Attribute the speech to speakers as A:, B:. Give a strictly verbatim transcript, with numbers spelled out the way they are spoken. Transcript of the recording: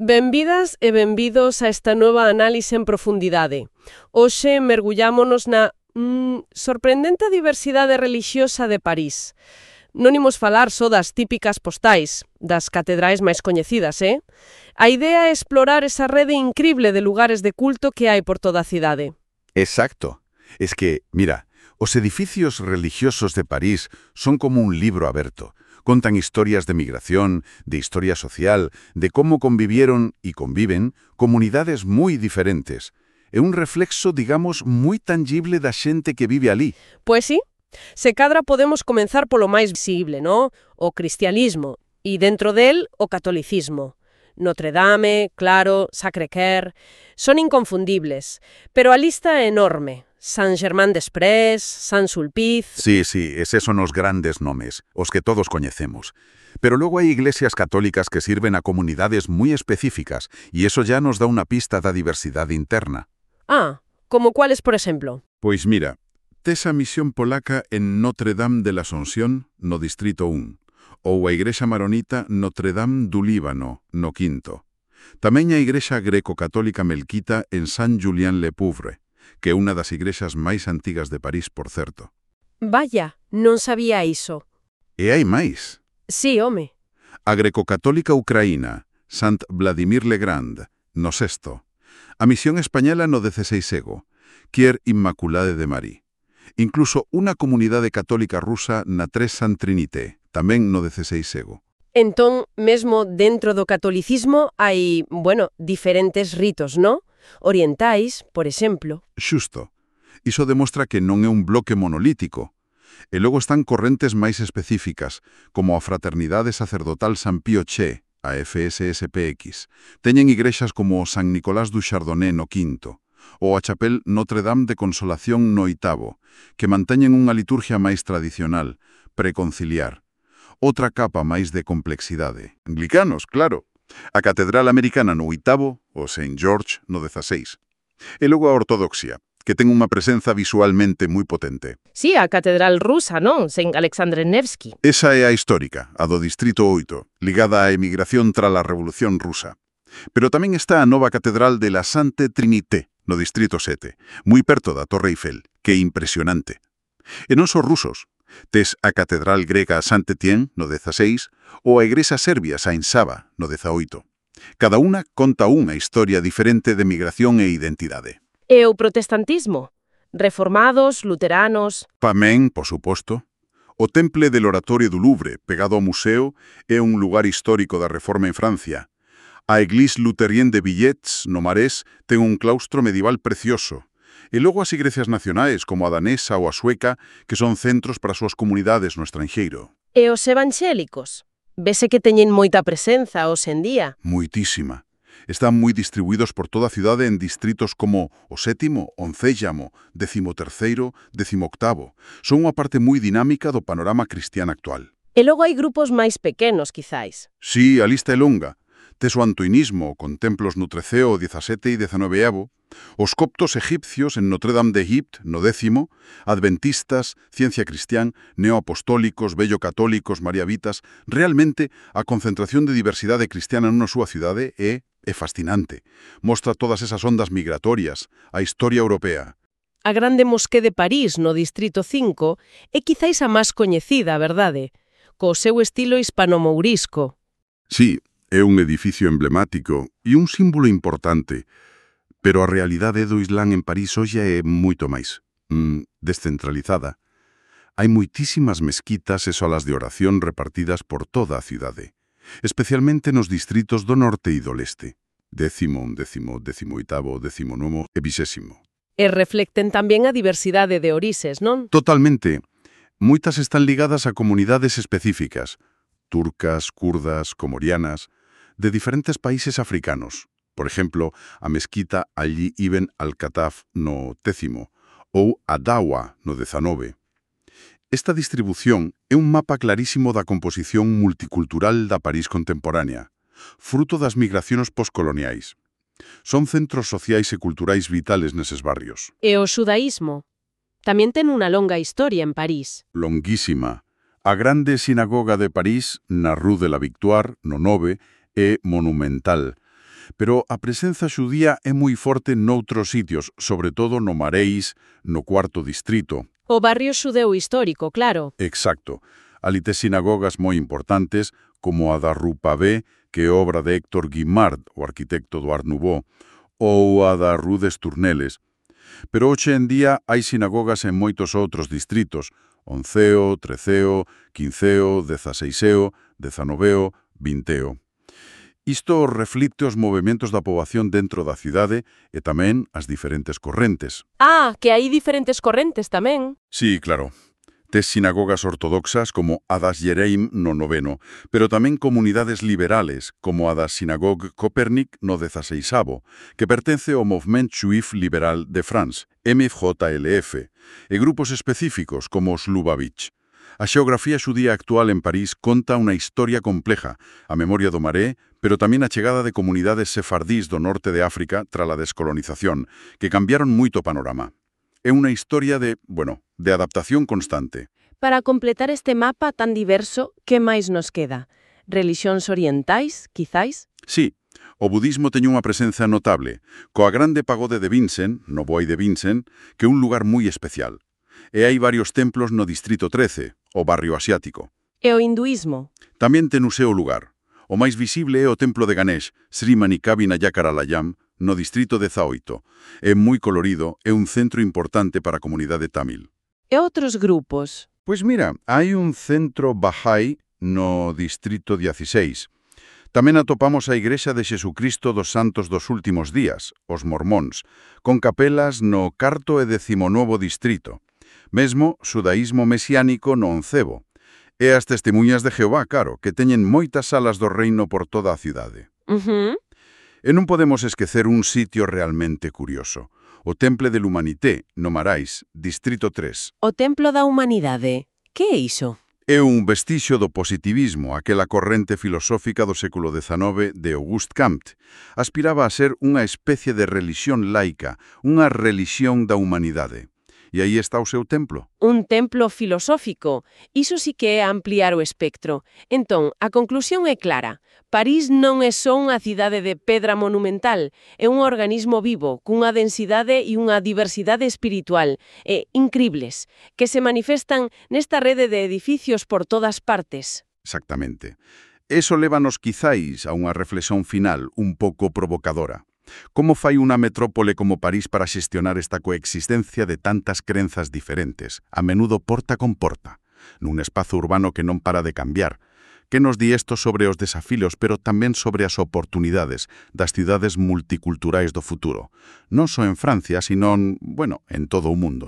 A: Benvidas e benvidos a esta nova análise en profundidade. Hoxe mergullámonos na mm, sorprendente diversidade relixiosa de París. Non imos falar só das típicas postais, das catedrais máis coñecidas, eh? A idea é explorar esa rede incrible de lugares de culto que hai por toda a cidade.
B: Exacto. Es que, mira, os edificios religiosos de París son como un libro aberto. Contan historias de migración, de historia social, de cómo convivieron y conviven comunidades moi diferentes. É un reflexo, digamos, moi tangible da xente que vive ali.
A: Pois sí. Se cadra podemos comenzar polo máis visible, ¿no? O cristianismo, e dentro del, o catolicismo. Notre Dame, claro, Sacré-Cœur, son inconfundibles, pero a lista é enorme. Saint-Germain-des-Prés, Saint-Sulpice...
B: Sí, sí, eses son os grandes nomes, os que todos coñecemos. Pero luego hai iglesias católicas que sirven a comunidades moi específicas, e eso ya nos dá unha pista da diversidade interna.
A: Ah, como cuáles, por exemplo?
B: Pois mira, tes a misión polaca en Notre Dame de l'Ascensión, no Distrito un, ou a igrexa maronita Notre Dame du Líbano, no Quinto. Tamén a igrexa greco-católica melquita en Saint-Julien-le-Pauvre, que é unha das igrexas máis antigas de París, por certo.
A: Vaya, non sabía iso.
B: E hai máis.
A: Sí, home.
B: A greco-católica ucraína, Sant Vladimir le Grand, no sexto. A misión española no dezesseisego, Quier Immaculade de Marie. Incluso unha comunidade católica rusa na Tres Sant Trinité, tamén no dezesseisego.
A: Entón, mesmo dentro do catolicismo hai, bueno, diferentes ritos, ¿no? Orientais, por exemplo.
B: Xusto. Iso demostra que non é un bloque monolítico. E logo están correntes máis específicas, como a Fraternidade Sacerdotal San Pío X, a F S S P X. Teñen igrexas como San Nicolás du Chardonnay no Quinto, ou a Chapelle Notre Dame de Consolación no Oitavo, que manteñen unha liturgia máis tradicional, preconciliar. Outra capa máis de complexidade. Anglicanos, claro. A Catedral Americana no Oitavo, o Saint George no Dezaseis. E logo a Ortodoxia, que ten unha presenza visualmente moi potente.
A: Sí, a Catedral rusa, non? Saint Alexandre Nevsky.
B: Esa é a histórica, a do Distrito oito, ligada á emigración tras a Revolución Rusa. Pero tamén está a nova Catedral de la Sainte Trinité, no Distrito sete, moi perto da Torre Eiffel, que é impresionante. E non só rusos. Tes a Catedral grega Saint-Étienne, no dezaseis, ou a igrexa serbia Saint-Sava, no dezaoito. Cada unha conta unha historia diferente de migración e identidade.
A: E o protestantismo? Reformados, luteranos...
B: Tamén, por suposto. O Temple del Oratorio do Louvre, pegado ao museo, é un lugar histórico da Reforma en Francia. A Église Lutherienne de Villets, no Marés, ten un claustro medieval precioso. E logo as igrexas nacionais, como a danesa ou a sueca, que son centros para as súas comunidades no estranxeiro.
A: E os evangélicos? Vese que teñen moita presenza hoxe en día.
B: Moitísima. Están moi distribuídos por toda a cidade en distritos como o sétimo, oncéllamo, décimo terceiro, décimo octavo. Son unha parte moi dinámica do panorama cristián actual.
A: E logo hai grupos máis pequenos, quizáis.
B: Sí, a lista é longa. Tes o antoinismo, con templos no treceo, dezasete e dezanoveo, os coptos egipcios en Notre Dame de Egipte, no décimo, adventistas, ciencia cristián, neoapostólicos, vello-católicos, mariavitas. Realmente, a concentración de diversidade cristiana nunha súa cidade é, é fascinante. Mostra todas esas ondas migratorias, a historia europea.
A: A Grande Mosqué de París, no Distrito cinco, é quizáis a máis coñecida, verdade? Co seu estilo hispano-mourisco.
B: Sí, é un edificio emblemático e un símbolo importante, pero a realidade do Islán en París hoxe é moito máis mm, descentralizada. Hai moitísimas mezquitas e salas de oración repartidas por toda a cidade, especialmente nos distritos do norte e do leste, décimo, décimo, décimo oitavo, décimo novo e vixésimo.
A: E reflecten tamén a diversidade de orixes, non?
B: Totalmente. Moitas están ligadas a comunidades específicas, turcas, kurdas, comorianas, de diferentes países africanos. Por exemplo, a mezquita Ali Ibn al-Khattab no décimo ou a Dawa no dezanove. Esta distribución é un mapa clarísimo da composición multicultural da París contemporánea, fruto das migracións postcoloniais. Son centros sociais e culturais vitales neses barrios.
A: E o xudaísmo? Tamén ten unha longa historia en París.
B: Longuísima. A grande sinagoga de París, na Rue de la Victoire, no nove, é monumental. Pero a presenza xudía é moi forte noutros sitios, sobre todo no Maréis, no cuarto distrito.
A: O barrio xudeu histórico, claro.
B: Exacto. Ali tes sinagogas moi importantes, como a da Rue Pavée, que é obra de Héctor Guimard, o arquitecto do Art Nouveau, ou a da Rue des Tournelles. Pero hoxe en día hai sinagogas en moitos outros distritos, onceo, treceo, quinceo, dezaseiseo, dezanoveo, vinteo. Isto reflicte os movementos da poboación dentro da cidade e tamén as diferentes correntes.
A: Ah, que hai diferentes correntes tamén.
B: Sí, claro. Tes sinagogas ortodoxas como a das Yereim no noveno, pero tamén comunidades liberales como a da Synagogue Copernic no dezaseisavo, que pertence ao Movement Juif Liberal de France, M J L F, e grupos específicos como os Lubavitch. A xeografía xudía actual en París conta unha historia compleja, a memoria do Maré, pero tamén a chegada de comunidades sefardís do norte de África tras a descolonización, que cambiaron moito o panorama. É unha historia de, bueno, de adaptación constante.
A: Para completar este mapa tan diverso, que máis nos queda? Relixións orientais, quizáis?
B: Sí, o budismo teña unha presenza notable, coa grande pagode de Vincent, no Boi de Vincent, que é un lugar moi especial. E hai varios templos no distrito trece, o barrio asiático.
A: E o hinduísmo?
B: Tamén ten o seu lugar. O máis visible é o templo de Ganesh, Sri Manikarvinayakaralayam, no distrito dezaoito. É moi colorido, é un centro importante para a comunidade tamil.
A: E outros grupos?
B: Pois mira, hai un centro Bahá'í no distrito dieciséis. Tamén atopamos a Igrexa de Xesucristo dos Santos dos Últimos Días, os mormóns, con capelas no carto e decimonovo distrito. Mesmo, xudaísmo mesiánico no oncevo. E as testemunhas de Jehová, claro, que teñen moitas salas do reino por toda a cidade.
A: Uh-huh.
B: E non podemos esquecer un sitio realmente curioso. O Temple de l'Humanité, no Marais, distrito tres.
A: O Templo da Humanidade. Que é iso?
B: É un vestixio do positivismo, aquela corrente filosófica do século dezenove de Auguste Comte. Aspiraba a ser unha especie de relixión laica, unha relixión da humanidade. E aí está o seu templo.
A: Un templo filosófico. Iso sí que é ampliar o espectro. Entón, a conclusión é clara. París non é só unha cidade de pedra monumental, é un organismo vivo, cunha densidade e unha diversidade espiritual, e incribles, que se manifestan nesta rede de edificios por todas partes.
B: Exactamente. Eso lévanos quizáis a unha reflexión final un pouco provocadora. Como fai unha metrópole como París para xestionar esta coexistencia de tantas crenzas diferentes, a menudo porta con porta, nun espazo urbano que non para de cambiar? Que nos di isto sobre os desafíos, pero tamén sobre as oportunidades das cidades multiculturais do futuro? Non só en Francia, sino, bueno, en todo o mundo.